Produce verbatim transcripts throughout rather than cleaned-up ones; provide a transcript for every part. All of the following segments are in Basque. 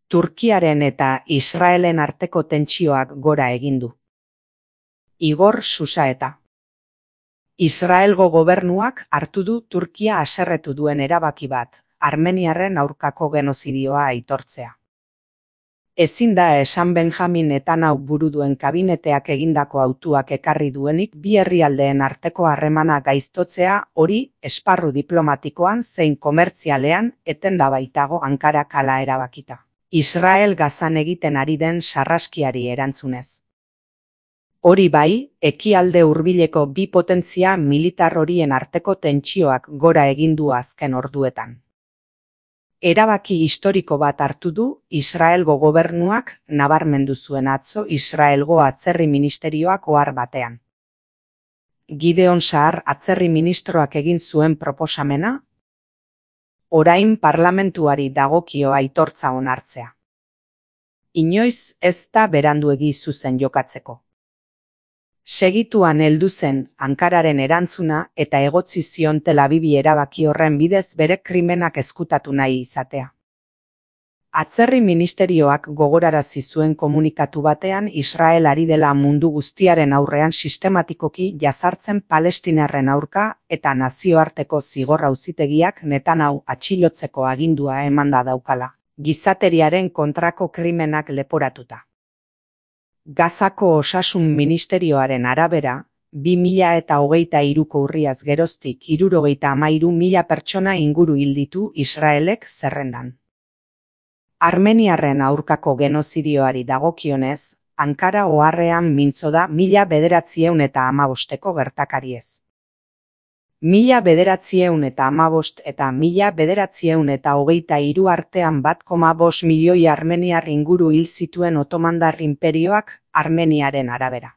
Turkiaren eta Israelen arteko tentsioak gora egin du. Igor Xusaeta. Israelgo gobernuak hartu du Turkia haserretu duen erabaki bat, armeniarren aurkako genozidioa aitortzea. Ezin da esan Benjamin Netanyahu buru duen kabineteak egindako hautuak ekarri duenik bi herrialdeen arteko harremana gaiztotzea, hori esparru diplomatikoan zein komertzialean etenda baitago Ankarak hala erabakita. Israel Gazan egiten ari den sarraskiari erantzunez. Hori bai, ekialde hurbileko bi potentzia militar horien arteko tentsioak gora egin du azken orduetan. Erabaki historiko bat hartu du Israelgo gobernuak nabarmendu zuen atzo Israelgo atzerri ministerioak ohar batean. Gideon Sa'ar atzerri ministroak egin zuen proposamena, orain parlamentuari dagokio aitortza onartzea. Inoiz ez da beranduegi zuzen jokatzeko. Segituan heldu zen Ankararen erantzuna eta egotzi zion Tel Avivi erabaki horren bidez bere krimenak ezkutatu nahi izatea. Atzerri ministerioak gogorarazi zuen komunikatu batean Israel ari dela mundu guztiaren aurrean sistematikoki jazartzen palestinarren aurka eta nazioarteko zigor auzitegiak Netanyahu atxilotzeko agindua emanda daukala, gizateriaren kontrako krimenak leporatuta. Gazako osasun ministerioaren arabera, bi mila eta hogeita hiruko urriaz geroztik hirurogeita hamairu mila pertsona inguru hil ditu Israelek zerrendan. Armeniarren aurkako genozidioari dagokionez, Ankara oharrean mintzo da mila bederatziehun eta hamabosteko gertakariez. Mila bederatziehun eta hamabost eta mila bederatziehun eta hogeita hiru artean bat koma bost milioi armeniar inguru hil zituen Otomandar inperioak Armeniaren arabera.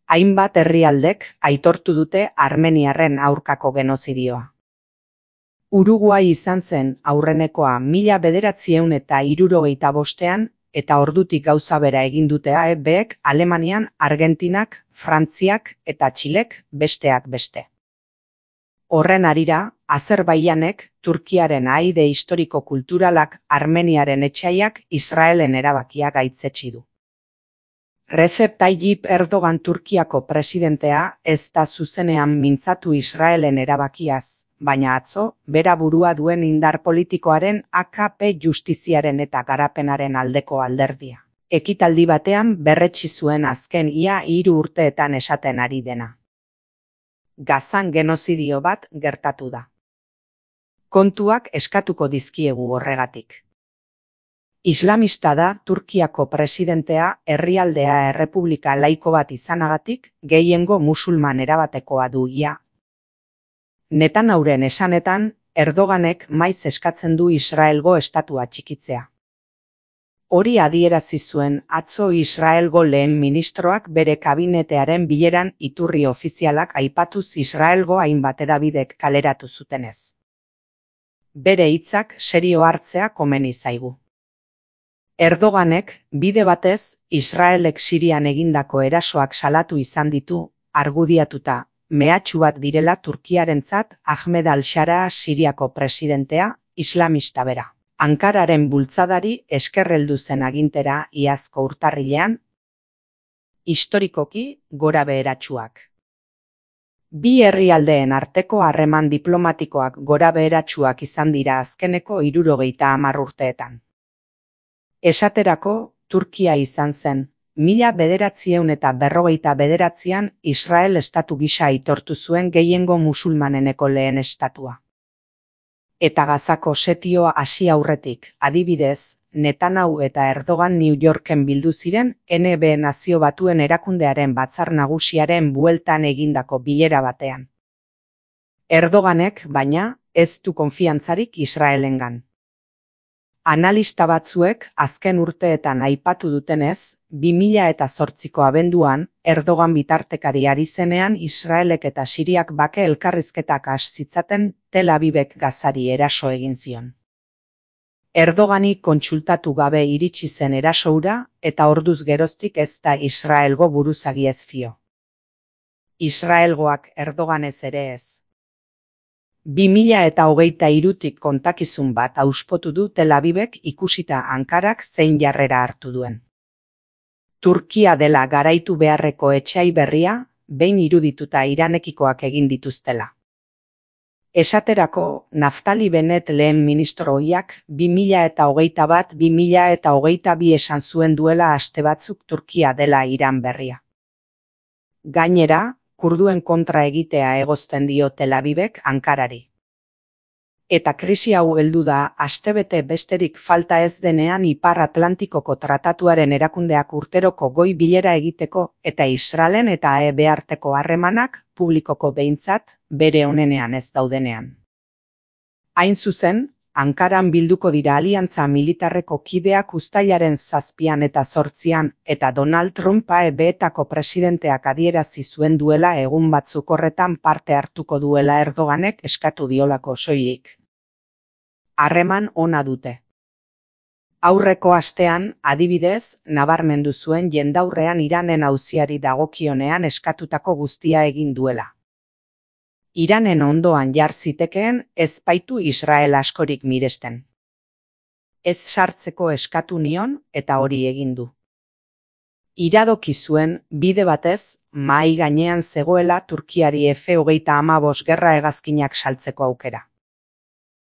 Hainbat herrialdek aitortu dute armeniarren aurkako genozidioa. Uruguai izan zen aurrenekoa mila bederatziehun eta hirurogeita bostean eta ordutik gauza bera egin dute A E Bek Alemanian, Argentinak, Frantziak eta Txilek besteak beste. Horren harira, Azerbaijanek, Turkiaren aide historiko-kulturalak Armeniaren etxaiak Israelen erabakia gaitzetsi du. Recep Tayyip Erdogan Turkiako presidentea ez da zuzenean mintzatu Israelen erabakiaz, baina atzo, bera burua duen indar politikoaren A K P justiziaren eta garapenaren aldeko alderdia. Ekitaldi batean berretsi zuen azken ia hiru urteetan esaten ari dena. Gazan genozidio bat gertatu da. Kontuak eskatuko dizkiegu horregatik. Islamista da Turkiako presidentea herrialdea errepublika laiko bat izanagatik gehiengo musulman erabatekoa du ia. Netanyahuren esanetan, Erdoganek maiz eskatzen du Israelgo estatua txikitzea. Hori adierazi zuen atzo Israelgo lehen ministroak bere kabinetearen bileran iturri ofizialak aipatuz Israelgo hainbat hedabidek kaleratu zutenez. Bere hitzak serio hartzea komeni zaigu. Erdoganek bide batez Israelek Sirian egindako erasoak salatu izan ditu, argudiatuta, mehatxu bat direla Turkiarentzat Ahmed al-Shara Siriako presidentea, islamista bera. Ankararen bultzadari eskerreldu zen agintera iazko urtarrilean, historikoki gora beheratsuak. Bi herrialdeen arteko harreman diplomatikoak gora beheratsuak izan dira azkeneko hirurogeita hamar urteetan. Esaterako, Turkia izan zen, mila bederatziehun eta berrogeita bederatzian Israel estatu gisa aitortu zuen gehiengo musulmaneneko lehen estatua. Eta Gazako setioa hasi aurretik, adibidez, Netanyahu eta Erdogan New Yorken bildu ziren N B Nazio Batuen Erakundearen Batzar Nagusiaren bueltan egindako bilera batean. Erdoganek, baina, ez du konfiantzarik Israelengan. Analista batzuek azken urteetan aipatu dutenez, bi mila eta zortziko abenduan, Erdogan bitartekari ari zenean Israelek eta Siriak bake elkarrizketak has zitzaten Tel Avivek Gazari eraso egin zion. Erdogani kontsultatu gabe iritsi zen erasoura eta orduz geroztik ez da Israelgo buruzagi ez fio. Israelgoak Erdoganez ere ez. bi mila eta hogeita hirutik kontakizun bat auspotu du Tel Avivek ikusita Ankarak zein jarrera hartu duen. Turkia dela garaitu beharreko etsai berria, behin irudituta Iranekikoak egin dituztela. Esaterako, Naftali Bennett lehen ministro ohiak bi mila eta hogeita bat bi mila eta hogeita bi esan zuen duela aste batzuk Turkia dela Iran berria. Gainera, kurduen kontra egitea egozten dio Tel Avivek Ankarari. Eta krisi hau heldu da astebete besterik falta ez denean Ipar Atlantikoko Tratatuaren erakundeak urteroko goi bilera egiteko eta Israelen eta E B arteko harremanak publikoko behintzat bere onenean ez daudenean. Hain zuzen, Ankaran bilduko dira aliantza militarreko kideak uztailaren zazpian eta zortzian eta Donald Trump E B-etako presidenteak adierazi zuen duela egun batzuk horretan parte hartuko duela Erdoganek eskatu diolako soilik. Harreman ona dute. Aurreko astean, adibidez, nabarmendu zuen jendaurrean Iranen auziari dagokionean eskatutako guztia egin duela. Iranen ondoan jar zitekeen ez baitu Israel askorik miresten. Ez sartzeko eskatu nion eta hori egin du. Iradoki zuen bide batez mahai gainean zegoela Turkiari F hogeita hamabost gerra hegazkinak saltzeko aukera.